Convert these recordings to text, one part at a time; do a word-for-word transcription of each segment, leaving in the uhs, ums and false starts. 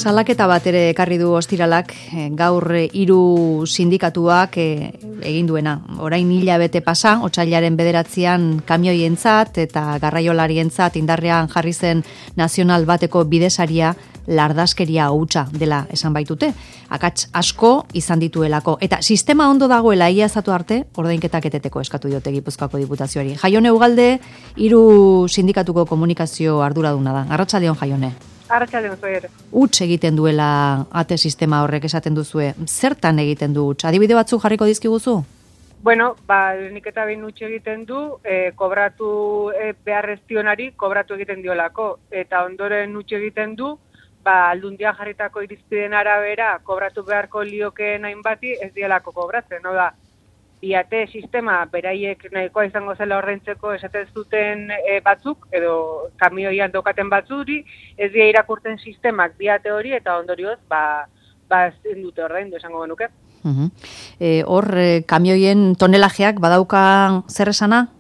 salaketa bat ere ekarri du ostiralak, gaur hiru sindikatuak egin duena. Orain hilabete pasa, otsailaren bederatzian kamioientzat eta garraiolarientzat indarrean jarri zen nazional bateko bidesaria lardaskeria hutsa dela esan baitute. Akats asko izan dituelako. Eta sistema ondo dagoela iazatu arte, ordainketak eteteko eskatu diote Gipuzkoako Diputazioari. Jaione Ugalde, hiru sindikatuko komunikazio arduraduna da. Arratsaldeon, Jaione. Arratsaldeon, zoer. Huts egiten duela ate sistema horrek esaten duzue. Zertan egiten du huts? Adibide batzuk jarriko dizkiguzu? Bueno, ba, nik eta behin huts egiten du, e, kobratu e, beharreztionari kobratu egiten diolako. Eta ondoren huts egiten du, ba, aldundia jarritako irizpideen arabera kobratu beharko liokeen hainbati ez dielako kobratzen, no da. Biate sistema beraiek nahikoa izango zela ordaintzeko esaten zuten e, batzuk, edo kamioian daukaten batzuri, ez dira irakurten sistemak biate hori eta ondorioz, ba, ba ezin dute ordaindu esango genuke. Uh-huh. e, hor, e, kamioien tonelajeak badauka zer esana?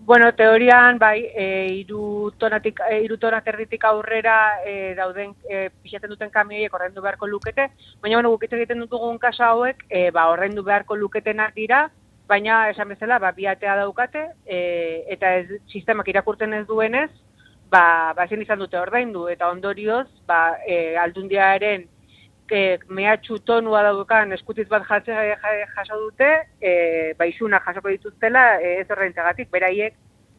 Bueno, teorian, bai, e, iru tonatik, e, iru tonak erditik aurrera e, dauden e, pixatzen duten kamioiek ordaindu beharko lukete, baina, bueno, gukitze egiten dugun kasa hauek, e, ba, ordaindu beharko luketenak dira, baina, esan bezala, ba, biatea daukate, e, eta ez, sistemak irakurtzen ez duenez, ba, ba, ezin izan dute ordaindu, eta ondorioz, ba, e, aldundiaren e, mehatxu tonua daukan eskutiz bat jatze, jaso dute, e, ba, isuna jasoko dituztela e, ez ordaintzagatik, beraiek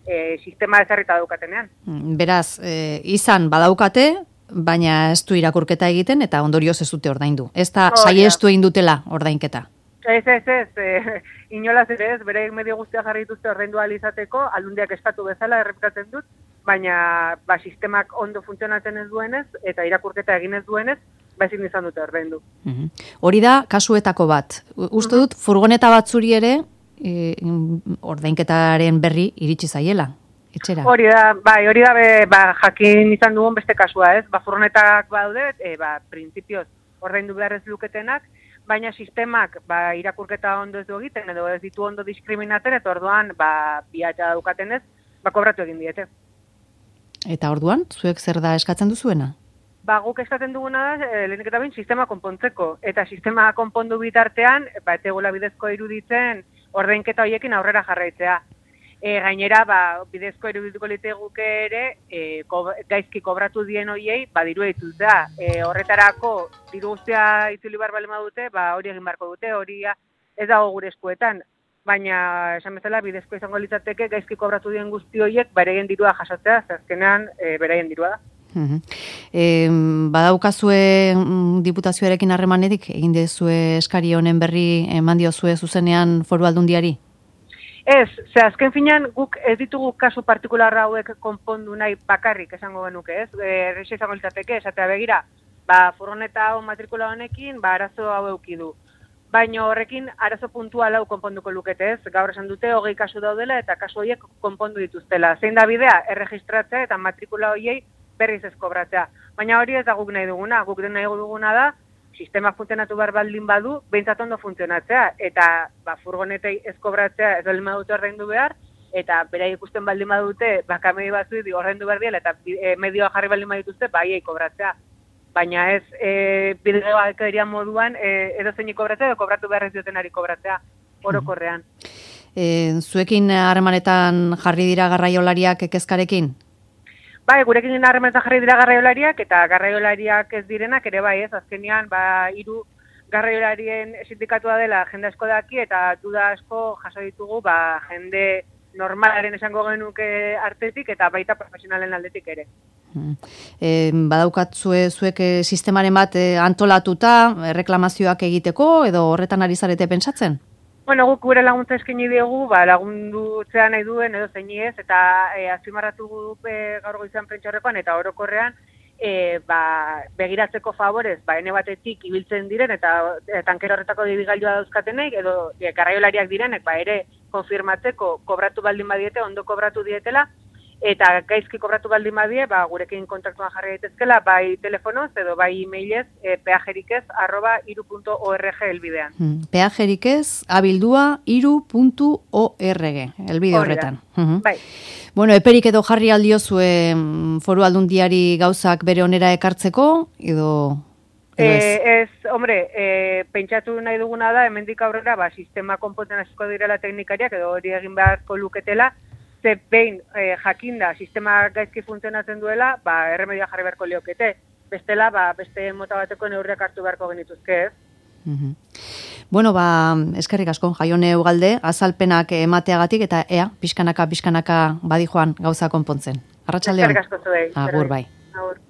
e, sistema ezarrita daukatenean. Beraz, e, izan badaukate, baina ez du irakurketa egiten eta ondorioz ez dute ordaindu. Ez da oh, saiestu egin dutela ordainketa. Ez, ez, ez, e, inolaz ere ez, beraiek medio guztia jarri dituzte ordaindu ahal izateko, aldundiak eskatu bezala errepikatzen dut, baina ba, sistemak ondo funtzionatzen ez duenez eta irakurketa egin ez duenez, ba ezin izan dute ordaindu. Uh-huh. Hori da kasuetako bat. Uste dut, uh-huh. furgoneta batzuri ere e, ordainketaren berri iritsi zaiela, etxera. Hori da, bai, hori da be, ba, jakin izan dugun beste kasua, ez? Ba, furgonetak baude, e, ba, printzipioz ordaindu behar ez luketenak, baina sistemak ba, irakurketa ondo ez du egiten, edo ez ditu ondo diskriminaten, eta orduan, ba, biata daukaten ez, ba, kobratu egin diete. Eta orduan, zuek zer da eskatzen duzuena? Ba, guk eskatzen duguna da, e, lehenik eta behin, sistema konpontzeko. Eta sistema konpondu bitartean, ba, etegola bidezko iruditzen ordainketa horiekin aurrera jarraitzea. E, gainera, ba, bidezko irudituko liteguke ere, e, ko, gaizki kobratu dien horiei, ba, dirua ditutzea. E, horretarako, diru guztia itzuli bar balema dute, ba, hori egin barko dute, hori ez dago gure eskuetan. Baina, esan bezala, bidezko izango litzateke, gaizki kobratu dien guzti horiek, beraien dirua jasotzea, azkenean, e, beraien dirua da. Uh-huh. E, badaukazue diputazioarekin harremanetik, egin dezue eskari honen berri eman diozue zuzenean foru aldundiari? Ez, ze azken finean guk ez ditugu kasu partikularra hauek konpondu nahi bakarrik esango genuke, ez? Errexe izango litzateke, esatea begira, ba, furgoneta hau matrikula honekin, ba, arazo hau eukidu. Baina horrekin arazo puntual hau konponduko lukete, ez? Gaur esan dute hogei kasu daudela eta kasu horiek konpondu dituztela. Zein da bidea, erregistratzea eta matrikula horiei berriz ez kobratzea. Baina hori ez da guk nahi duguna. Guk nahi duguna da, sistema funtzionatu behar baldin badu, behintzat ondo funtzionatzea. Eta ba, furgonetei ez kobratzea ez baldin badute ordaindu behar, eta berai ikusten baldin badute, ba, kamei batzu ordaindu behar diela, eta e, medioa jarri baldin badituzte, ba, iei kobratzea. Baina ez, e, bidegabikeria moduan, e, edo zeinik kobratzea, edo kobratu behar ez diotenari kobratzea, orokorrean. E, zuekin harremanetan jarri dira garraiolariak kezkarekin? Bai, gurekin harremanetan jarri dira garraiolariak, eta garraiolariak ez direnak ere bai ez, azkenean, ba, hiru garraiolarien sindikatua dela jende asko daki, eta duda asko jaso ditugu, ba, jende normalaren esango genuke artetik, eta baita profesionalen aldetik ere. E, badaukatzue zuek sistemaren bat antolatuta, reklamazioak egiteko, edo horretan ari zarete pentsatzen? Bueno, guk gure laguntza eskaini diegu, ba, lagundutzea nahi duen edo zein ez, eta e, azpimarratu e, gaur goizean prentxaurrekoan eta orokorrean e, ba, begiratzeko favorez, ba, ene batetik ibiltzen diren eta e, tankero horretako dibigailua dauzkatenek, edo e, garraiolariak direnek, ba, ere konfirmatzeko kobratu baldin badiete, ondo kobratu dietela, eta gaizki kobratu baldin badie, ba, gurekin kontaktuan jarri daitezkela, bai telefonoz edo bai e-mailez, e, peajerikez arroba iru puntu org elbidean. Hmm. Peajerikez abildua iru puntu org elbide horretan. Uh-huh. Bai. Bueno, eperik edo jarri aldiozu foru aldundiari gauzak bere onera ekartzeko, edo... Eh, ez, hombre, eh, pentsatu nahi duguna da, hemendik aurrera, ba, sistema konpontzen hasiko direla teknikariak, edo hori egin beharko luketela, ze behin eh, jakinda sistema gaizki funtzionatzen duela, ba, erremedioa jarri beharko liokete. Bestela, ba, beste mota bateko neurriak hartu beharko genituzke, ez? Mm-hmm. Bueno, ba, eskerrik asko, Jaione Ugalde, azalpenak emateagatik, eta ea, pixkanaka, pixkanaka badi joan gauza konpontzen. Arratsaldeon. Eskerrik asko zuei. Agur, bai. Agur.